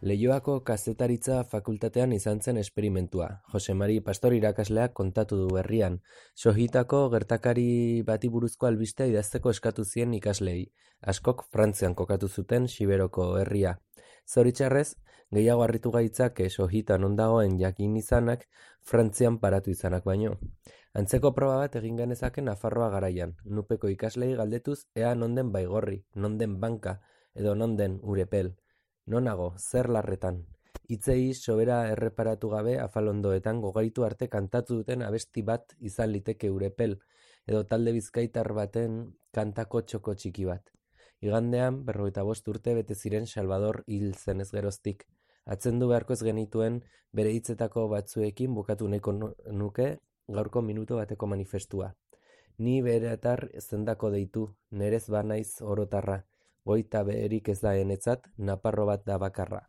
Leioako kazetaritza fakultatean izan zen esperimentua. Jose Mari Pastor irakasleak kontatu du berrian. Sohitako gertakari bati buruzko albistea idazteko eskatu zien ikasleei. Askok Frantzian kokatu zuten Xiberoko herria. Zoritxarrez, gehiago harritu gaitzake Sohitan non dagoen jakin izanak Frantzian paratu izanak baino. Antzeko proba bat egin genezake Nafarroa garaian. Nupeko ikaslei galdetuz ea non den Baigorri, non den Banka, edo non den Urepel. Nonago, zer larretan. Hitzei sobera erreparatu gabe afalondoetan gogaitu arte kantatu duten abesti bat izan liteke Urepel, edo talde bizkaitar baten kantako txoko txiki bat. Igandean, 45 urte bete ziren Salvador hil zenez geroztik. Atzendu beharko ez genituen bere hitzetako batzuekin bukatu nahiko nuke gaurko minutu bateko manifestua. Ni beretar zendako deitu, nerez banaiz orotarra. Goita beherik ez da enetzat, naparro bat da bakarra.